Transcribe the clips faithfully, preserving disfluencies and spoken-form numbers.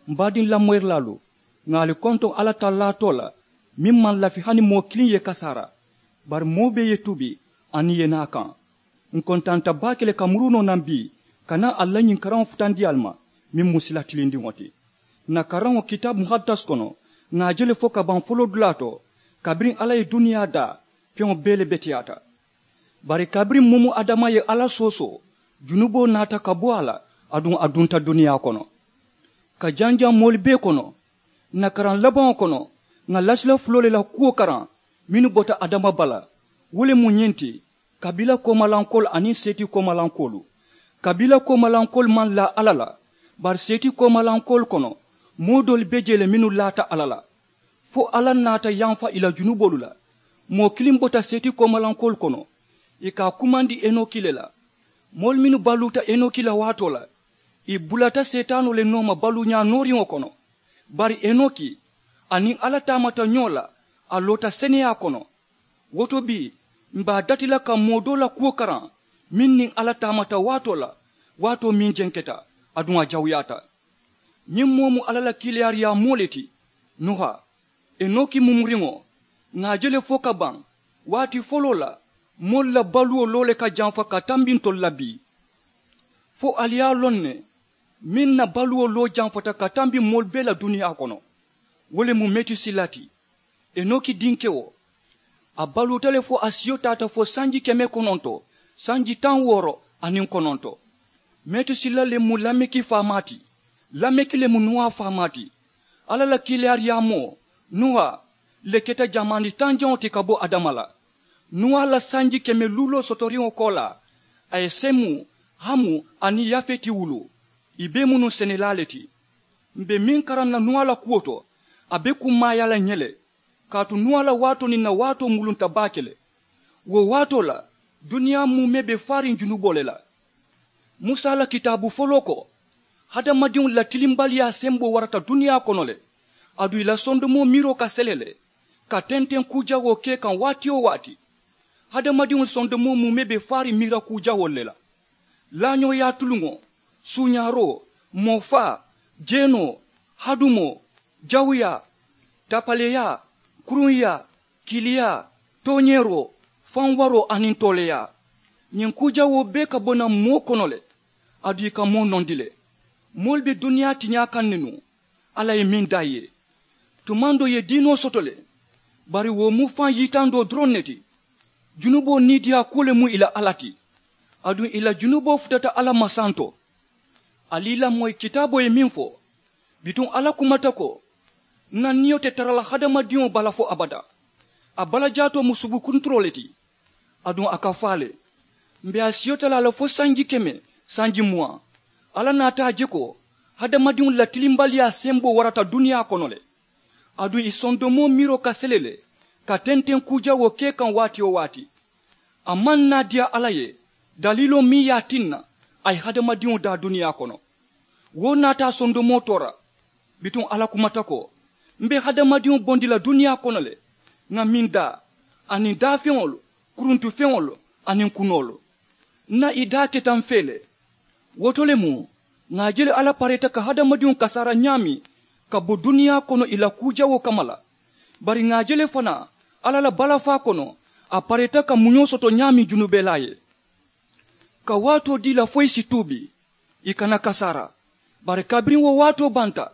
M baadiŋ lamoyirilaalu, ŋà ali kontoŋ alla tallaa too la, meŋ maŋ lafi hani moo kiliŋ ye kasaara. Bari moo bee ye tuubi, aniŋ ì ye naa a kaŋ. Ǹ kontaanta baake le ka muru noo naŋ bii ka naa ali la ñiŋ karaŋo futandi ali ma, meŋ mu sila tilindiŋo ti. Ǹ na karaŋo kitaabu muhaddas kono, ŋà a je le fo ka baŋ foloodulaa to, kabiriŋ alla ye duniyaa daa, feŋo bee le beteyaata. Bari kabiriŋ mumu adama ye alla soosoo, junuboo naata ka bo a la, aduŋ a dunta duniyaa kono. Ka janjaŋ moolu bee kono, ǹ na karaŋ labaŋo kono, ŋà lasila fuloo le la kuwo karaŋ, mennu bota adama bala. Wo le mu ñiŋ ti, kabiila koomalankoolu aniŋ seeti koomalankoolu. Kabiila koomalankoolu maŋ laa alla la, bari seeti koomalankoolu kono, moo doolu be jee le mennu laata alla la, fo alla naata yamfa ì la junuboolu la. Moo kiliŋ bota seeti koomalankoolu kono, ì ka a kumandi enoki le la. Moolu mennu baluuta enoki la waatoo la, ì bulata seetaanoo le nooma baluuñaa nooriŋo kono. Bari enoki, a niŋ alla taamata ñoo la, a loota seneyaa kono. Wo to bii, m̀ be a dati la ka moo doo la kuwo karaŋ, meŋ niŋ alla taamata waatoo la, waatoo meŋ jenketa, aduŋ a jawuyaata. Ñiŋ moo mu alla la kiilaariyaa moo le ti. Nuha, enoki mumuriŋo, ŋà a je le fo ka baŋ, waati foloo la, moolu la baluwo loo le ka jamfa ka tambi ntolu la bii. Fo ali ye a loŋ ne, meŋ na baluwo loo jamfata ka tambi moolu bee la duniyaa kono, wo le mu metusila ti. Enoki dinkewo, a baluuta le fo a siyo taata fo sanji keme kononto sanji taŋ wooro aniŋ kononto. Metusila le mu lameki faamaa ti. Lameki le mu nuwa faamaa ti. Alla la kiilaariyaamoo, nuwa, le keta jamaani tanjaŋo ti ka bo adama la. Nuwa la sanji keme luuloo sotoriŋo koolaa, a ye semu, hamu, aniŋ yafeti wuluu. Ì bee mu nuŋ senelaa le ti. M̀ be meŋ karaŋ na nuwa la kuwo to, a be kummaayaa la ǹ ye le. Kaatu nuwa la waatoo niŋ ǹ na waatoo mulunta baake le. Wo waatoo la, duniyaa muumee be faariŋ junuboo le la. Musa la kitaabu foloo ko, hadamadiŋolu la tilimbaliyaa semboo warata duniyaa kono le. Aduŋ ì la sondomoo miiroo ka sele le, ka tenteŋ kuu jawoo ke kaŋ waati-wo-waati. Hadamadiŋolu sondomoo muumee be faariŋ miira kuu jawoolu le la. Laañooyaa tuluŋo, suuñaaroo, moo faa, jeenoo, hadumoo, jawuyaa, tapaleyaa, kuruŋyaa, kiiliyaa, tooñeeroo, faŋ waroo aniŋ tooleeyaa. Ñiŋ kuu jawoo bee ka bo naŋ moo kono le. Aduŋ ì ka moo nondi le. Moolu be duniyaa tiñaa kaŋ ne nuŋ, alla ye meŋ daa ì ye. Tumaŋ doo ì ye diinoo soto le, bari wo mu faŋ yitandoo doroŋ ne ti. Junuboo niidiyaa kuwo le mu ì la alla ti. Aduŋ ì la junuboo futata alla ma santo. Ali ì lamoyi kitaaboo ye meŋ fo, bituŋ alla kumata ko, ǹ na niyo te tara la hadamadiŋo bala fo abadaa. A balajaatoo mu subukunturoo le ti. Aduŋ a ka faa le. M̀ be a siyo talaa la fo sanji keme, sanji muwaŋ. Alla naata a je ko, hadamadiŋolu la tilimbaliyaa semboo warata duniyaa kono le. Aduŋ ì sondomoo miiroo ka sele le, ka tenteŋ kuu jawoo ke kaŋ waati-wo-waati. A maŋ naa diyaa alla ye, daliiloo meŋ ye a tinna a ye hadamadiŋo daa duniyaa kono. Wo naata a sondomoo toora. Bituŋ alla kumata ko, m̀ be hadamadiŋo bondi la duniyaa kono le, ŋà meŋ daa, aniŋ daafeŋolu, kuruntufeŋolu, aniŋ kunoolu. Ǹ na ì daa keta m̀ fee le. Wo to le mu, ŋà a je le alla pareeta ka hadamadiŋo kasaara ñaameŋ, ka bo duniyaa kono ì la kuu jawoo kamma la. Bari ŋà a je le fanaa, alla la balafaa kono, a pareeta ka muñoo soto ñaameŋ junubelaa ye, ka waatoo dii ì la fo ì si tuubi, ì kana kasaara. Bari kabiriŋ wo waatoo banta,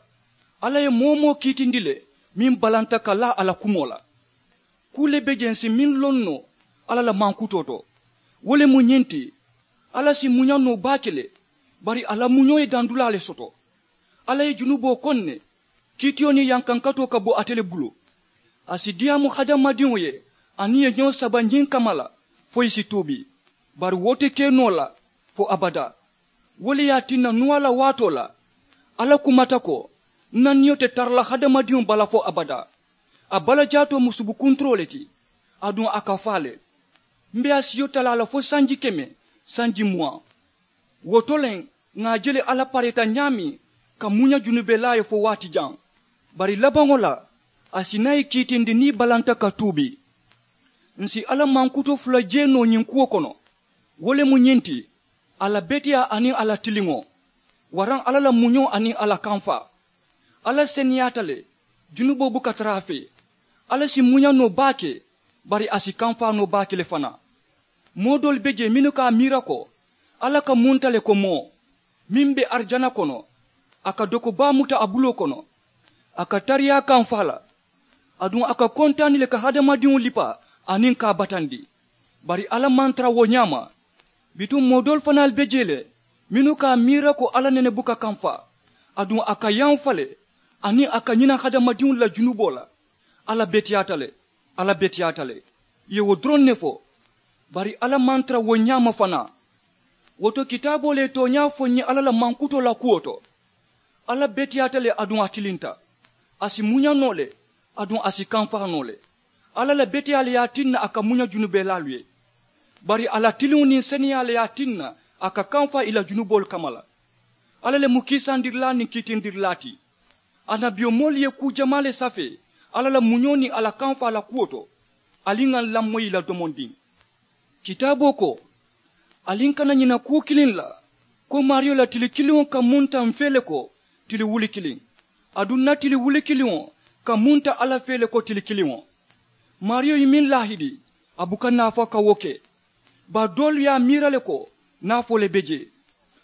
alla ye moo-wo-moo kiitindi le, meŋ balanta ka laa a la kumoo la. Kuu le be jee ǹ si meŋ loŋ noo alla la mankutoo to. Wo le mu ñiŋ ti, alla si muña noo baake le, bari a la muñoo ye dandulaa le soto. Alla ye junuboo koŋ ne, kiitiyo niŋ yankankatoo ka bo ate le bulu. A si diyaamu hadamadiŋo ye aniŋ ì ye ñoo saba ñiŋ kamma la, fo ì si tuubi. Bari wo te ke noo la fo abadaa. Wo le ye a tinna nuwa la waatoo la, alla kumata ko, ǹ na niyo te tara la hadamadiŋo bala fo abadaa. A balajaatoo mu subukunturoo le ti. Aduŋ a ka faa le. M̀ be a siyo talaa la fo sanji keme, sanji muwaŋ. Wo to le, ŋà a je le alla pareeta ñaameŋ ka muña junubelaa ye fo waati jaŋ. Bari labaŋo la, a si naa ì kiitindi niŋ ì balanta ka tuubi. Ǹ si alla mankuto fula jee noo ñiŋ kuwo kono. Wo le mu ñiŋ ti, a la beteyaa aniŋ a la tiliŋo, waraŋ alla la muñoo aniŋ a la kamfaa. Alla seneyaata le. Junuboo buka tara a fee. Alla si muña noo baake. Bari a si kamfaa noo baake le fanaa. Moo doolu be jee mennu ka a miira ko alla ka munta le ko moo meŋ be arijana kono. A ka doko baa muta a buloo kono. A ka tariyaa kamfaa la. Aduŋ a ka kontaani le ka hadamadiŋo lipa aniŋ ka a batandi. Bari alla maŋ tara wo ñaama. Bituŋ moo doolu fanaalu be jee le mennu ka a miira ko alla nene buka kamfaa. Aduŋ a ka yamfa le aniŋ a ka ñina hadamadiŋolu la junuboo la. Alla beteyaata le. Alla beteyaata le. Ì ye wo doroŋ ne fo. Bari alla maŋ tara wo ñaama fanaa. Wo to kitaaboo le ye tooñaa fo n ye alla la mankutoo la kuwo to. Alla beteyaata le aduŋ a tilinta. A si muña noo le. Aduŋ a si kamfaa noo le. Alla la beteyaa le ye a tinna a ka muña junubelaalu ye. Bari a la tiliŋo niŋ seneyaa le ye a tinna a ka kamfaa ì la junuboolu kamma la. Alla le mu kiisandirilaa niŋ kiitindirilaa ti. Annabiyomoolu ye kuu jamaa le safee alla la muñoo niŋ a la kamfaa la kuwo to. Ali ŋà n lamoyi ì la domondiŋ. Kitaaboo ko ali n kana ñina kuu kiliŋ la ko maariyo la tili kiliŋo ka munta m fee le ko tili wuli kiliŋ. Aduŋ n na tili wuli kiliŋo ka munta alla fee le ko tili kiliŋo. Maariyo ye meŋ laahidi a buka naafaa ka wo ke. Bari doolu ye a miira le ko naafoo le be jee.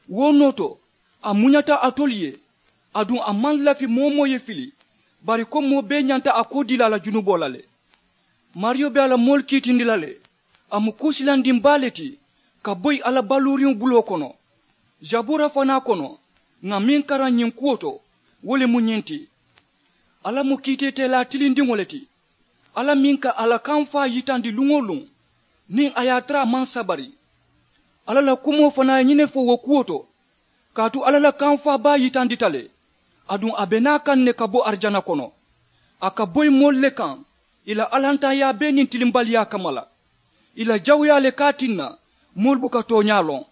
Wo noo to a muñata alitolu ye. Aduŋ a maŋ lafi moo-wo-moo ye fili. Bari ko moo bee ñanta a koo dii la a la junuboo la le. Maariyo be a la moolu kiitindi la le. A mu kuu silandiŋ baa le ti ka boyi a la baluuriŋo buloo kono. Sabuura fanaa kono ŋà meŋ karaŋ ñiŋ kuwo to wo le mu ñiŋ ti. Alla mu kiitiitelaa tilindiŋo le ti. Alla meŋ ka a la kamfaa yitandi luŋ-wo-luŋ niŋ a ye a tara a maŋ sabari. Alla la kumoo fanaa ye ñiŋ ne fo wo kuwo to. Kaatu alla la kamfaa baa yitandita le. Aduŋ a be naa kaŋ ne ka bo arijana kono. A ka boyi moolu le kaŋ ì la alantaayaa bee niŋ tilimbaliyaa kamma la. Ì la jawuyaa le ka a tinna moolu buka tooñaa loŋ.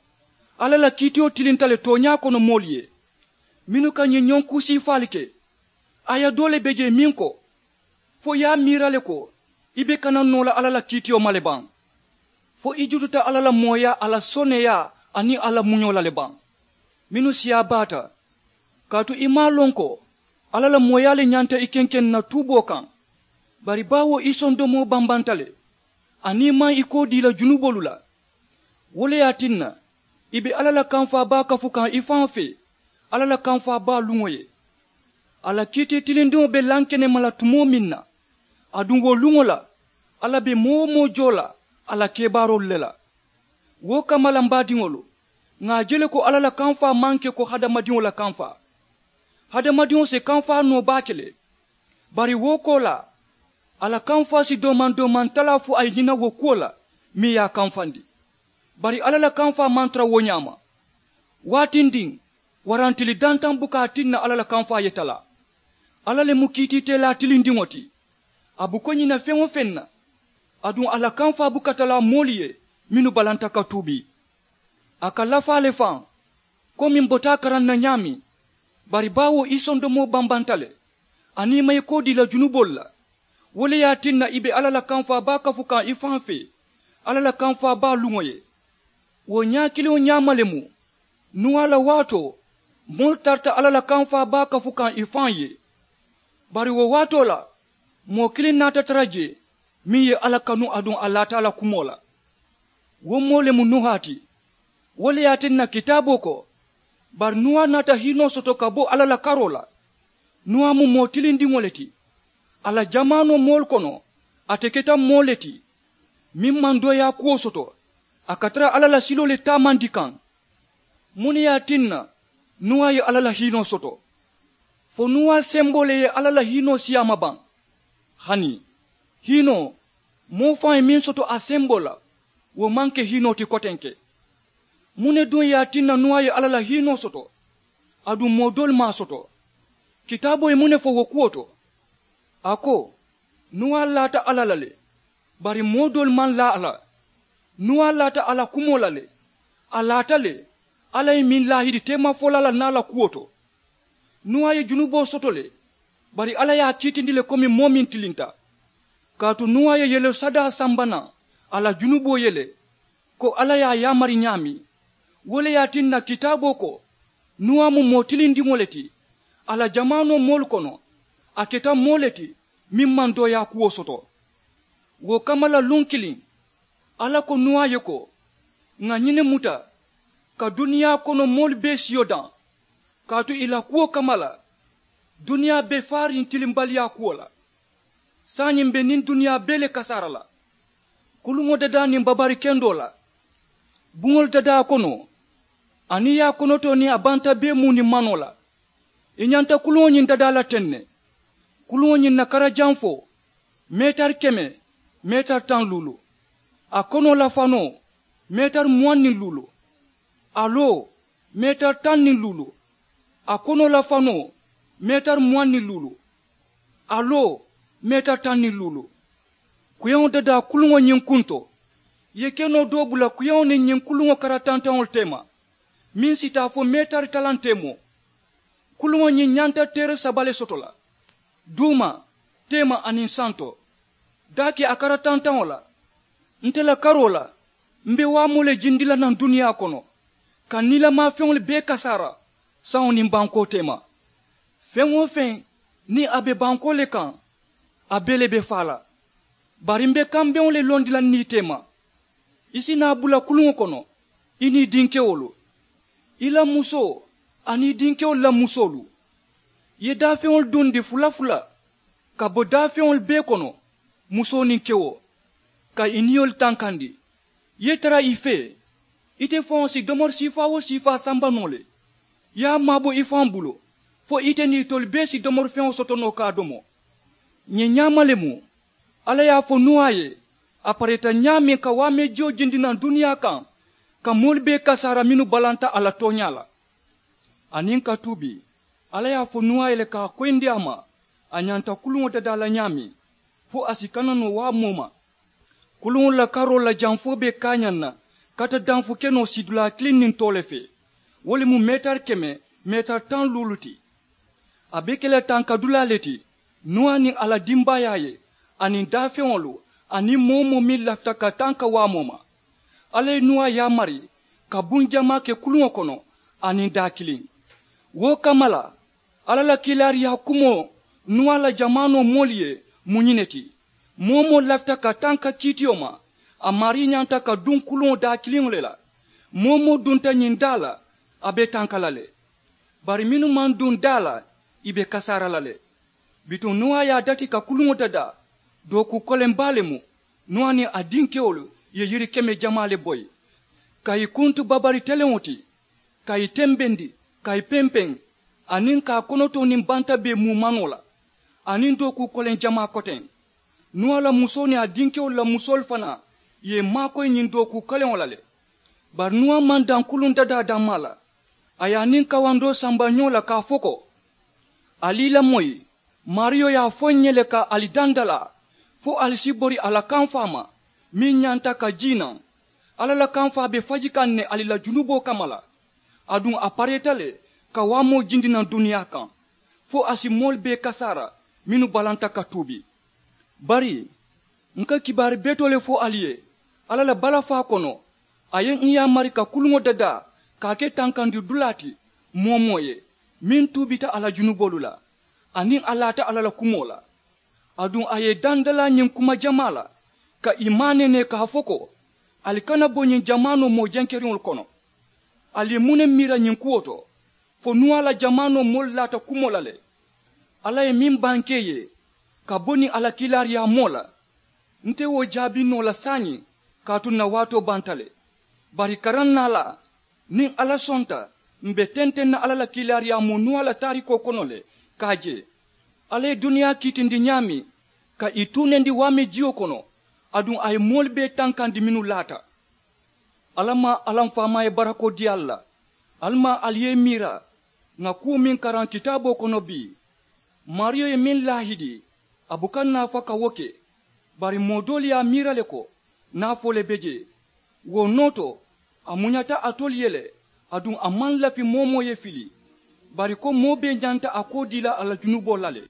Alla la kiitiyo tilinta le tooñaa kono moolu ye mennu ka ñiŋ ñoŋ kuusiifaalu ke. Aaya doo le be jee meŋ ko fo i ye a miira le ko i be kana noo la alla la kiitiyo ma le baŋ. Fo i jututa alla la mooyaa a la soneyaa aniŋ a la muñoo la le baŋ. Mennu siyaa baata kaatu i maŋ a loŋ ko alla la mooyaa le ñanta i kenkeŋ na tuuboo kaŋ. Bari baawo i sondomoo bambanta le aniŋ i maŋ i koo dii la junuboolu la. Wo le ye a tinna i be alla la kamfaa baa kafu kaŋ i faŋo fee alla la kamfaa baa luŋo ye. A la kiiti tilindiŋo be lankenema la tumoo meŋ na aduŋ wo luŋo la alla be moo-wo-moo joo la a la kebaaroolu le la. Wo kamma la m baadiŋolu ŋà a je le ko alla la kamfaa maŋ ke ko hadamadiŋo la kamfaa. Hadamadiŋo si kamfaa noo baake le. Bari wo koolaa a la kamfaa si doomaŋ-doomaŋ talaa fo a ye ñina wo kuwo la meŋ ye a kamfandi. Bari alla la kamfaa maŋ tara wo ñaama. Waatindiŋ waraŋ tili dantaŋ buka a tinna alla la kamfaa ye talaa. Alla le mu kiitiiteelaa tilindiŋo ti. A buko ñina feŋ-wo-feŋ na. Aduŋ a la kamfaa buka talaa moolu ye mennu balanta ka tuubi. A ka lafaa le faŋ komi m bota a karaŋ na ñaameŋ. Bari baawo i sondomoo bambanta le aniŋ i maŋ i koo dii la junuboolu la. Wo le ye a tinna i be alla la kamfaa baa kafu kaŋ i faŋo fee alla la kamfaa baa luŋo ye. Wo ñaa kiliŋo ñaama le mu nuwaa la waatoo moolu tarata alla la kamfaa baa kafu kaŋ i faŋo ye. Bari wo waatoo la moo kiliŋ naata tara jee meŋ ye alla kanu aduŋ a laata a la kumoo la. Wo moo le mu nuhaa ti. Wo le ye a tinna kitaaboo ko bari nuwaa naata hiinoo soto ka bo alla la karoo la. Nuwaa mu moo tilindiŋo le ti. A la jamaanoo moolu kono ate keta moo le ti meŋ maŋ dooyaa kuwo soto. A ka tara alla la siloo le taamandi kaŋ. Muŋ ne ye a tinna nuwaa ye alla la hiinoo soto? Fo nuwaa semboo le ye alla la hiinoo siyaama baŋ? Hani hiinoo moo faŋo ye meŋ soto a semboo la wo maŋ ke hiinoo ti kotenke. Muŋ ne duŋ ye a tinna nuwaa ye alla la hiinoo soto? Aduŋ moo doolu maŋ a soto. Kitaaboo ye muŋ ne fo wo kuwo to? A ko nuwaa laata alla la le. Bari moo doolu maŋ laa a la. Nuwaa laata a la kumoo la le. A laata le alla ye meŋ laahidi teemafolaa la naa la kuwo to. Nuwaa ye junuboo soto le. Bari alla ye a kiitindi le komi moo meŋ tilinta. Kaatu nuwaa ye yelesadaa samba naŋ a la junuboo ye le ko alla ye a yaamari ñaameŋ. Wo le ye a tinna kitaaboo ko nuwaa mu moo tilindiŋo le ti. A la jamaanoo moolu kono a keta moo le ti meŋ maŋ dooyaa kuwo soto. Wo kamma la luŋ kiliŋ alla ko nuwa ye ko, ŋà ñiŋ ne muta ka duniyaa kono moolu bee siyo daŋ, kaatu ì la kuwo kamma la duniyaa be faariŋ tilimbaliyaa kuwo la. Saayiŋ m̀ be niŋ duniyaa bee le kasaara la. Kuluŋo dadaa niŋ babari kendoo la, buŋolu dadaa kono, aniŋ ì ye a konotoo niŋ a banta bee muu niŋ manoo la. Ì ñanta kuluŋo ñiŋ dadaa la teŋ ne. Kuluŋo ñiŋ na kara jaŋ fo meetari keme, meetari taŋ luulu. A konoo la fanoo meetari muwaŋ niŋ luulu. A loo meetari taŋ niŋ luulu. A konoo la fanoo meetari muwaŋ niŋ luulu. A loo meetari taŋ niŋ luulu. Kuyaŋo dadaa kuluŋo ñiŋ kunto ì ye kenoo doo bula kuyaŋo niŋ ñiŋ kuluŋo kara tantaŋolu teema, meŋ si taa fo meetari talaŋ teemoo. Kuluŋo ñiŋ ñanta teere saba le soto la, duuma, teema aniŋ santo. Daake a kara tantaŋo la, nte la karoo la m̀ be waamoo le jindi la naŋ duniyaa kono, ka niilamaa feŋolu bee kasaara saŋo niŋ bankoo teema. Feŋ-wo-feŋ niŋ a be bankoo le kaŋ a bee le be faa la. Bari m̀ be kambeŋo le londi la niŋ ì teema. Ì si naa bula kuluŋo kono, ì niŋ ì dinkewolu, ì la musoo aniŋ ì dinkewolu la musoolu. Ì ye daafeŋolu dundi fula fula ka bo daafeŋolu bee kono, musoo niŋ kewo, ka ì niyolu tankandi. Ì ye tara ì fee, ite faŋo si domori siifaa-wo-siifaa samba noo le. Ì ye a maabo i faŋo bulu fo ite niŋ itolu bee si domori feŋo soto noo ka a domo. Ñiŋ ñaama le mu alla ye a fo nuwa ye a pareeta ñaameŋ ka waameejiyo jindi naŋ duniyaa kaŋ, ka moolu bee kasaara mennu balanta a la tooñaa la. Aniŋ ka tuubi, alla ye a fo nuwa ye le ka a koyindi a ma a ñanta kuluŋo dadaa la ñaameŋ, fo a si kana noo waamoo ma. Kuluŋolu la karoolu la janfoo be kaañaŋ na kata danfu kenoo sidulaa kiliŋ niŋ too le fee. Wo le mu meetari keme, meetari taŋ luulu ti. A be ke la tankadulaa le ti, nuwa niŋ a la dimbaayaa ye, aniŋ daafeŋolu, aniŋ moo-wo-moo meŋ lafita ka tanka waamoo ma. Alla ye nuwa yaamari ka buŋ jamaa ke kuluŋo kono, aniŋ daa kiliŋ. Wo kamma la, alla la kiilaariyaa kumoo nuwa la jamaanoo moolu ye mu ñiŋ ne ti, moo-wo-moo lafita ka tanka kiitiyo ma, a maarii ñanta ka duŋ kuluŋo daa kiliŋo le la. Moo-wo-moo dunta ñiŋ daa la, a be tanka la le. Bari mennu maŋ duŋ daa la, ì be kasaara la le. Bituŋ nuwa ye a dati ka kuluŋo dadaa, dookuu koleŋ baa le mu. Nuwa niŋ a dinkewolu ye yiri keme jamaa le boyi, ka ì kuntu babari teleŋo ti, ka ì tembendi, ka ì pempeŋ, aniŋ ka a konotoo niŋ banta bee muu manoo la, aniŋ dookuu koleŋ jamaa koteŋ. Nuwa la musoo niŋ a dinkewolu la musoolu fanaa ye ì maakoyi ñiŋ dookuu koleŋo la le. Bari nuwa maŋ daŋ kuluŋ dadaa dammaa la. A ye a niŋ kawandoo samba ñoo la ka a fo ko, ali i lamoyi, maariyo ye a fo ǹ ye le ka ali dandalaa, fo ali si bori a la kamfaa ma meŋ ñanta ka jii naŋ. Alla la kamfaa be faji kaŋ ne ali la junuboo kamma la. Aduŋ a pareeta le ka waamoo jindi naŋ duniyaa kaŋ, fo a si moolu bee kasaara mennu balanta ka tuubi. Bari, ǹ ka kibaari betoo le fo ali ye alla la balafaa kono. A ye ǹ yaamari ka kuluŋo dadaa ka a ke tankandi dulaa ti moo-wo-moo ye meŋ tuubita a la junuboolu la, aniŋ a laata alla la kumoo la. Aduŋ a ye ì dandalaa ñiŋ kuma jamaa la, ka ì maaneenee ka a fo ko, ali kana bo ñiŋ jamaanoo moo jenkeriŋolu kono. Ali ye muŋ ne miira ñiŋ kuwo to? Fo nuwa la jamaanoo moolu laata kumoo la le. Alla ye meŋ bankee ì ye ka bo niŋ a la kiilaariyaamoo la, nte wo jaabi noo la saayiŋ, kaatu ǹ na waatoo banta le. Bari karaŋ naa la, niŋ alla sonta, m̀ be tenteŋ na alla la kiilaariyaamoo nuwa la taarikoo kono le ka a je. Alla ye duniyaa kiitindi ñaameŋ, ka ì tuunendi waameejiyo kono, aduŋ a ye moolu bee tankandi mennu laata. Alla maŋ alla m̀ faamaa ye barakoo dii ali la. Ali maŋ ali ye ì miira ŋà kuwo meŋ karaŋ kitaaboo kono bii? Maariyo ye meŋ laahidi, a buka naafa ka wo ke. Bari moo doolu ye a miira le ko naafoo le be jee. Wo noo to, a muñata alitolu ye le, aduŋ a maŋ lafi moo-wo-moo ye fili, bari ko moo bee ñanta a koo dii la a la junuboo la le.